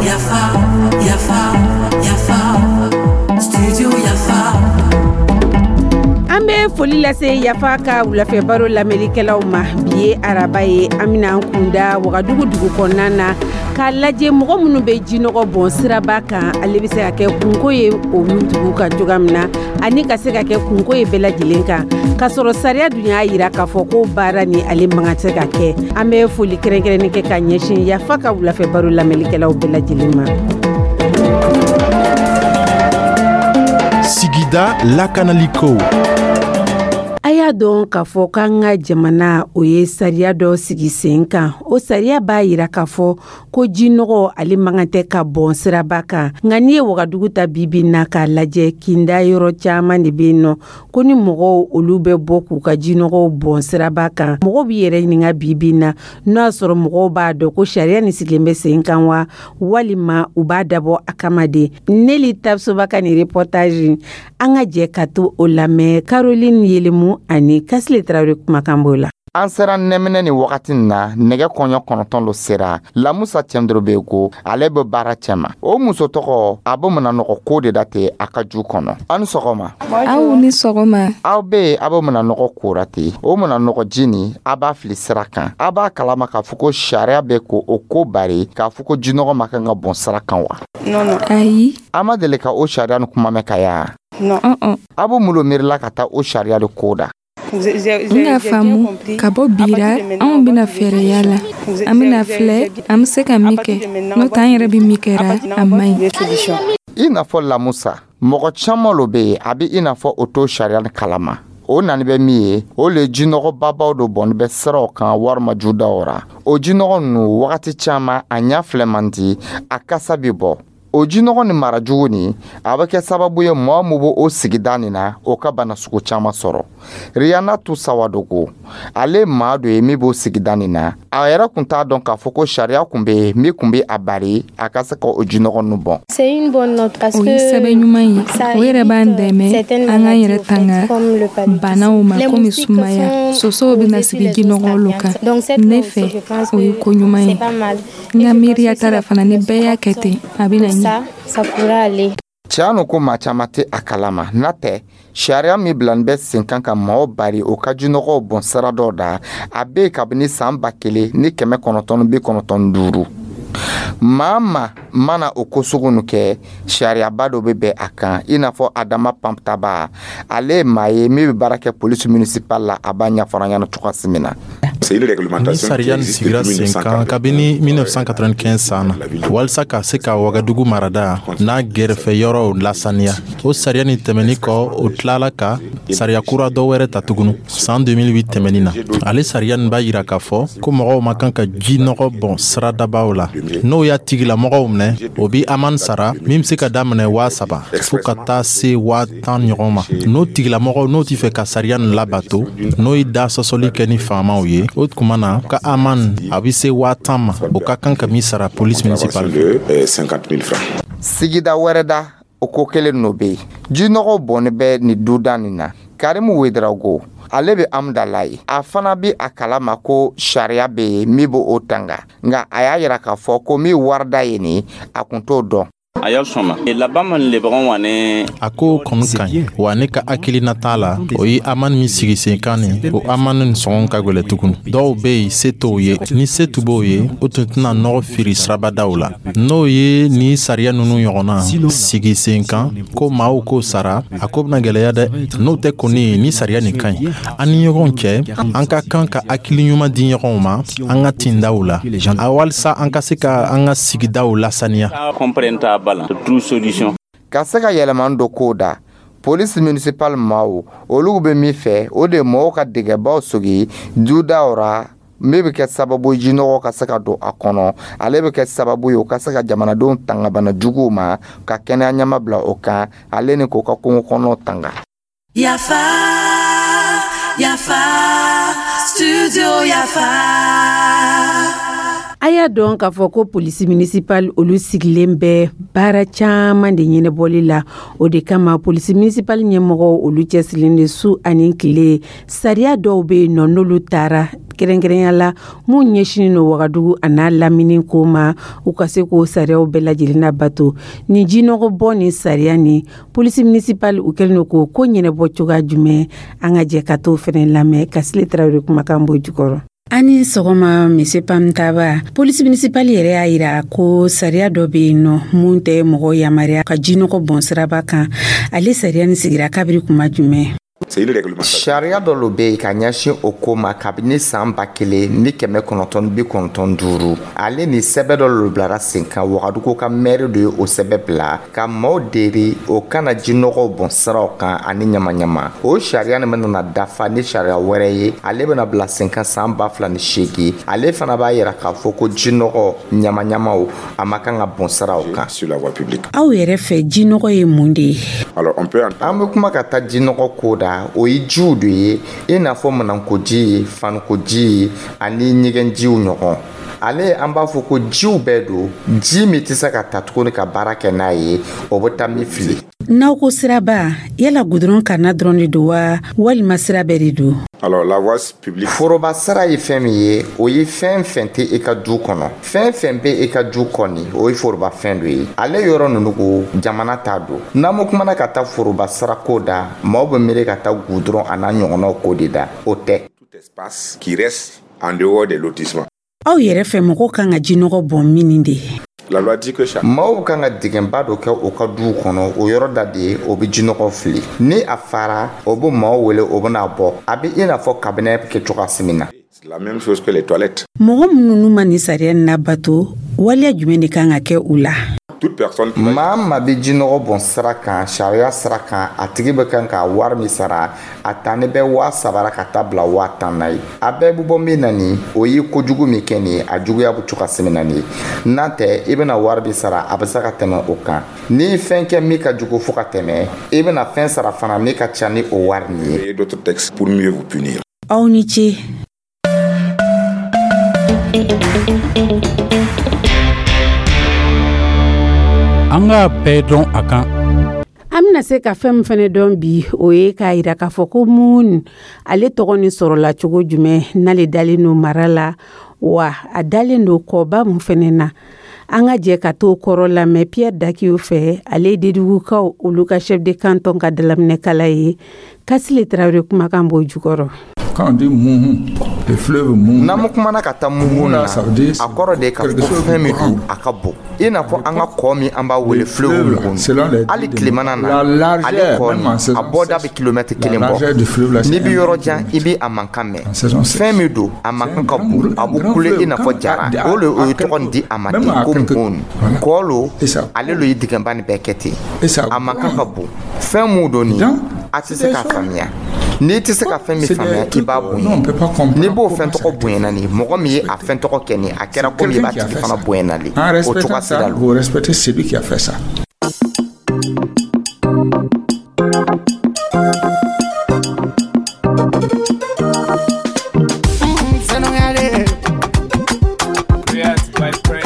Yafa, yafa, yafa, studio Yafa. An bɛ foli lase Yafa ka wulafɛ baro lamɛnlikɛlaw ma. Bi ye araba ye, an bɛna an kunda Wagadugu dugu kɔnɔna na k'a lajɛ mɔgɔ minnu bɛ jinɔgɔ bɔn siraba kan, ale bɛ se ka kɛ kunko ye olu dugu kan cogoya min na, ani ka se ka kɛ kunko ye bɛɛ lajɛlen kan, k'a sɔrɔ sariya dun y'a yira k'a fɔ ko baara ni ale man kan se ka kɛ. An bɛ foli kɛrɛnkɛrɛnnen kɛ ka ɲɛsin Yafa ka wulafɛ baro lamɛnlikɛlaw bɛɛ lajɛlen ma. Sigida lakanaliko. A y'a dɔn k'a fɔ k'an ka jamana o ye sariya dɔ sigi sen kan. O sariya b'a yira k'a fɔ ko jinɔgɔ ale man kan tɛ ka bɔn siraba kan. Nka n'i ye Wagadugu ta bibi na k'a lajɛ, kinda yɔrɔ caman de bɛ yen nɔ ko ni mɔgɔw olu bɛ bɔ k'u ka jinɔgɔw bɔn siraba kan. Mɔgɔw b'i yɛrɛ ɲininka bibi na n'o y'a sɔrɔ mɔgɔw b'a dɔn ko sariya nin sigilen bɛ sen kan wa, walima u b'a dabɔ a kama de. Neli Tapsoba ka nin reportage, an ka jɛ ka to o lamɛn. Caroline Yelemu ani Kasile Tarawele kumakan b'o la. An sera nɛminɛ ni wagati nin na, nɛgɛ kɔɲɔ 9 lo sera. Lamusa Cɛndorobego, ale bɛ baara cɛma. O muso tɔgɔ, a bɛ mananɔgɔ ko de da ten a ka ju kɔnɔ. Aw ni sɔgɔma. Aw ni sɔgɔma. Aw be yen, aw bɛ mananɔgɔ kora ten. O mananɔgɔ ji nin, a b'a fili sira kan. A b'a kalama k'a fɔ ko sariya bɛ ko o ko bari k'a fɔ ko jinɔgɔ ma kan ka bɔn sira kan wa? Ayi. A ma deli ka o sariya ni kuma mɛn ka ya? Aw bɛ mun lo miirila ka taa o sariya de ko da? N k'a faamu, ka bɔ bira, anw bɛna fɛɛrɛya la, an bɛna filɛ an bɛ se ka min kɛ, n'o tɛ an yɛrɛ bɛ min kɛra, a man ɲi. I n'a fɔ Lamusa, mɔgɔ caman lo bɛ yen, a bɛ i n'a fɔ o t'o sariya ni kalama. O nani bɛ min ye, o le jinɔgɔbabaw do bɔnni bɛ siraw kan walima judaw ra. O jinɔgɔ ninnu, wagati caman a ɲɛ filɛ man di, a kasa bɛ bɔ. O jinɔgɔ ni mara jugu nin, a bɛ kɛ sababu ye mɔgɔ min b'o sigida nin na, o ka bana sugu caman sɔrɔ. Rihanna Tusawadogo, ale maa dɔ ye min b'o sigida nin na. A yɛrɛ kun t'a dɔn k'a fɔ ko sariya kun bɛ yen min kun bɛ a bari a ka se ka o jinɔgɔ ninnu bɔn. O ye sɛbɛn ɲuman ye, o yɛrɛ b'an dɛmɛ an k'an yɛrɛ tanga banaw ma komi sumaya. Sosow bɛna sigi jinɔgɔ lo kan. Ne fɛ, o ye ko ɲuman ye. N ka miiriya t'a la fana, ni bɛɛ y'a kɛ ten, a bɛna ɲɛ. Tiɲɛ no ko maa caman tɛ a kalama. N'a tɛ sariya min bilani bɛ sen kan ka maaw bari o ka jinɔgɔw bɔn sira dɔw da, a bɛ yen kabini san 1995. Maa ma mana o ko sugu nu kɛ, sariyaba dɔ bɛ bɛn a kan. I n'a fɔ Adama Pamptaba, ale ye maa ye min bɛ baara kɛ police municipale la, a b'a ɲɛfɔ an ɲɛna cogoya min na. Ni sariya nin sigira sen kan kabini 1995 san na walisa ka se ka Wagadugu marada n'a gɛrɛfɛ yɔrɔw lasaniya, o sariya nin tɛmɛni kɔ, o tilala ka sariya kura dɔ wɛrɛ ta tugunu san 2008 tɛmɛni na. Ale sariya nin b'a yira k'a fɔ ko mɔgɔw ma kan ka ji nɔgɔ bɔn siradabaw la. N'o y'a tigilamɔgɔw minɛ, o bi amende sara min be se ka daminɛ 3000 fo ka taa se 10,000 ɲɔgɔn ma. N'o tigilamɔgɔw n'o t'i fɛ ka sariya nin labato, n'o ye da sɔsɔli kɛ ni faamaw ye, o tuma na ka amende a bɛ se 10,000 ma, o ka kan ka min sara police municipale. Sigida wɛrɛ da, o ko kelen n'o bɛ yen. Jinɔgɔ bɔnni bɛ nin duda nin na. Karimu Wedrago, ale bɛ Amudala ye. A fana bɛ a kalama ko sariya bɛ yen min b'o tanga, nka a y'a yira k'a fɔ ko min warida ye nin, a kun t'o dɔn. A ko kɔni ka ɲi wa. Ne ka hakilina t'a la, o ye amende min sigi sen kan nin, o amende nin sɔngɔ ka gwɛlɛ tuguni. Dɔw bɛ yen, se t'o ye. Ni se tun b'o ye, o tun tɛna nɔgɔ firi sirabadaw la. N'o ye ni sariya ninnu ɲɔgɔnna sigi sen kan ko maaw k'o sara, a ko bɛna gwɛlɛya dɛ. N'o tɛ kɔni, ni sariya nin ka ɲi. An ni ɲɔgɔn cɛ, an ka kan ka hakili ɲuman di ɲɔgɔn ma an ka tindaw la, a walisa an ka se ka an ka sigidaw lasaniya. Ka se ka yɛlɛma dɔ kow da, police municipale maaw olu bɛ min fɛ, o de ye mɔgɔw ka dingɛbaw sogi dudaw ra min bɛ kɛ sababu jinɔgɔ ka se ka don a kɔnɔ. Ale bɛ kɛ sababu ye o ka se ka jamanadenw tanga bana juguw ma, ka kɛnɛya ɲɛma bila o kan, ale ni k'o ka kungo kɔnɔ tanga. Yafa, yafa, studio Yafa. A y'a dɔn k'a fɔ ko polisi municipal olu sigilen bɛ baara caman de ɲɛnabɔli la. O de kama polisi municipal ɲɛmɔgɔw olu cɛsirilen de su ani tile. Sariya dɔw bɛ yen nɔ, n'olu taara Kɛrɛnkɛrɛnya la, mun ɲɛsinin no Wagadugu a n'a lamini ko ma, u ka se k'o sariyaw bɛɛ lajɛlen labato. Nin jinɔgɔ bɔ ni sariya ni police municipale, u kɛlen don k'o ko ɲɛnabɔ cogoya jumɛn? An ka jɛ ka t'o fɛnɛ lamɛn ka Sile Tarawele kumakan bɔ jukɔrɔ. Ani sɔgɔma, Monsieur Pamtaba. Police municipale yɛrɛ y'a yira ko sariya dɔ be yen nɔ mun tɛ mɔgɔ yamaruya ka jinɔgɔ bɔn siraba kan. Ale sariya ni sigira kabiri kuma jumɛn? Sariya dɔ lo bɛ yen ka ɲɛsin o ko ma kabini san 1995. Ale ni sɛbɛ dɔ lo bilara sen kan. Wagadugu ka mɛri dɔ ye o sɛbɛ bila ka maaw deri o kana jinɔgɔw bɔn siraw kan ani ɲamaɲama. O sariya nin bɛna dafa ni sariya wɛrɛ ye, ale bɛna bila sen kan san 2008. Ale fana b'a yira k'a fɔ ko jinɔgɔ, ɲamaɲamaw, a ma kan ka bɔn siraw kan. Aw yɛrɛ fɛ, jinɔgɔ ye mun de ye? An bɛ kuma ka taa jinɔgɔ ko da, o ye jiw de ye, i n'a fɔ manankoji ye, fanikoji ye ani ɲɛgɛnjiw ɲɔgɔn. Ale, an b'a fɔ ko jiw bɛɛ don, ji min tɛ se ka ta tuguni ka baara kɛ n'a ye, o bɛ taa min fili. N'aw ko siraba, yala gudɔrɔn kanna dɔrɔn de don wa, walima sira bɛɛ de don? Foroba sira ye fɛn min ye, o ye fɛn fɛn tɛ i ka du kɔnɔ. Fɛn fɛn bɛ i ka du kɔni, o ye foroba fɛn dɔ ye. Ale yɔrɔ ninnu ko jamana t'a don. N'an ma kumana ka taa foroba sira ko da, maaw bɛ miiri ka taa gudɔrɔn a n'a ɲɔgɔnnaw ko de da. O tɛ. Aw yɛrɛ fɛ, mɔgɔw kan ka jinɔgɔ bɔn min de? Maaw kan ka dingɛba dɔ kɛ u ka duw kɔnɔ, o yɔrɔ da de ye o bɛ jinɔgɔ fili. Ni a fara, o bɛ maaw wele, o bɛna bɔ. A bɛ i n'a fɔ kabinɛ kɛ cogoya min na. Mɔgɔ minnu ma nin sariya nin labato, waleya jumɛn de kan ka kɛ u la? Maa maa bɛ jinɔgɔ bɔn sira kan, sariya sira kan, a tigi bɛ kan ka wari min sara, a tani bɛ 3000 ka taa bila 10,000 na ye. A bɛɛ bɛ bɔ min na nin, o ye kojugu min kɛ nin ye, a juguya bɛ cogoya min na nin ye. N'a tɛ, i bɛna wari min sara, a bɛ se ka tɛmɛ o kan. Ni fɛn kɛ min ka jugu fo ka tɛmɛ, i bɛna fɛn sara fana min ka ca ni o wari nin ye. Aw ni ce. An k'a bɛɛ dɔn a kan. An bɛna se ka fɛn min fɛnɛ dɔn bi, o ye k'a yira k'a fɔ ko Mun ale tɔgɔ ni sɔrɔla cogo jumɛn, n'ale dalen don mara la wa, a dalen don kɔba mun fɛnɛ na. An ka jɛ ka t'o kɔrɔ lamɛn Pierre Dakiw fɛ. Ale ye Dedugukaw olu ka chef de canton ka dalaminɛkala ye. Kasile Tarawele kumakan b'o jukɔrɔ. N'an ma kumana ka taa Muhun na, a kɔrɔ de ye k'a fɔ ko fɛn min don, a ka bon, i n'a fɔ an ka kɔ min an b'a wele fleuve Muhun. Hali tilemana na, ale kɔ nin, a bɔda bɛ kilomɛtiri 1 bɔ. N'i bɛ yɔrɔ jan, i bɛ a mankan mɛn. Fɛn min don, a mankan ka bon, a bɛ kule i n'a fɔ jara. O de o ye tɔgɔ nin di a ma ten ko Muhun. Kɔ lo, ale lo ye dingɛba nin bɛɛ kɛ ten. A mankan ka bon. Fɛn mun don nin, a tɛ se k'a faamuya. N'i tɛ se ka fɛn min faamuya, i b'a bonya. N'i b'o fɛn tɔgɔ bonyana nin, mɔgɔ min ye a fɛn tɔgɔ kɛ nin, a kɛra komi i b'a tigi fana bonyana le. O cogoya sira lo.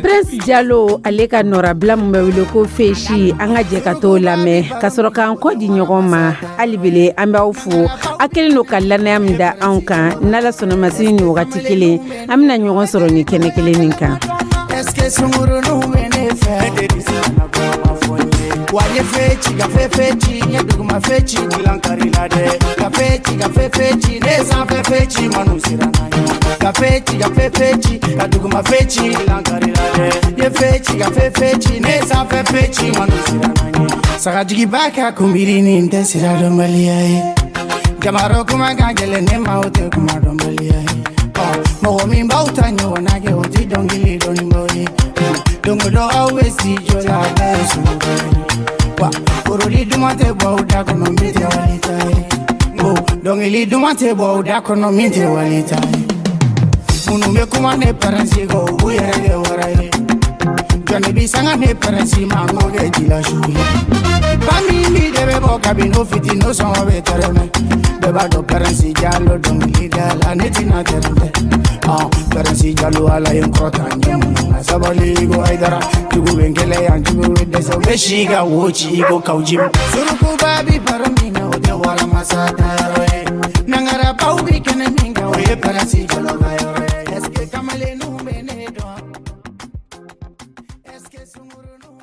Prince Jalo, ale ka nɔrabila min bɛ wele ko Fesi, an ka jɛ ka t'o lamɛn ka sɔrɔ k'an kɔ di ɲɔgɔn ma. Hali bele, an b'aw fo, a kɛlen don ka lannaya min da anw kan. N'Ala sɔnna ma, sini ni wagati kelen, an bɛna ɲɔgɔn sɔrɔ nin kɛnɛ kelen nin kan. Est-ce que sungurunnu bɛ ne fɛ? Wa n ye fe ci, ka fe fe ci, n ye duguma fe ci, dilan kari la dɛ. Ka fe ci, ka fe fe ci, ne sanfɛ fe ci, manu sera na ye. Ka fe ci, ka fe fe ci, ka duguma fe ci, dilan kari la dɛ. N ye fe ci, ka fe fe ci, ne sanfɛ fe ci, manu sera na ye. Sagajigiba ka kunbiri nin tɛ sira dɔnbaliya ye. Jamaro kuma ka gɛlɛn ne ma, o tɛ kuma dɔnbaliya ye. Mɔgɔ min b'aw ta ɲɔgɔnna kɛ, o tɛ dɔnkili dɔnnibaaw ye. Don o don aw bɛ si jɔ la, a bɛɛ ye suruba ye. Wa porodi duman tɛ bɔ aw da kɔnɔ min tɛ wali ta ye. Ko dɔnkili duman tɛ bɔ aw da kɔnɔ min tɛ wali ta ye. Minnu bɛ kuma ne pɛrɛnsi kɔ, u b'u yɛrɛ kɛ wara ye. Jɔnni bi sanga ne pɛrɛnsi ma, n k'o kɛ jilasiw ye. Ba min bi de bɛ bɔ kabini o fitinin, o sɔngɔ bɛ tɛrɛmɛ. Bɛɛ b'a dɔn pɛrɛnsi Jalo dɔnkili da la, ne tɛna tɛrɛntɛ. Pɛrɛnsi Jalo, Ala ye n kɔrɔta n ɲɛ mun na sabali ko Hayidara. Jugu bɛ n kɛlɛ yan, jugu bɛ dɛsɛ, u bɛ si ka wo ci i ko kawuji. Surukuba bi baro min na, o tɛ waramasa ta yɔrɔ ye. Nangarabaw bi kɛnɛ min kan, o ye pɛrɛnsi Jalo ka yɔrɔ. Sungurunu.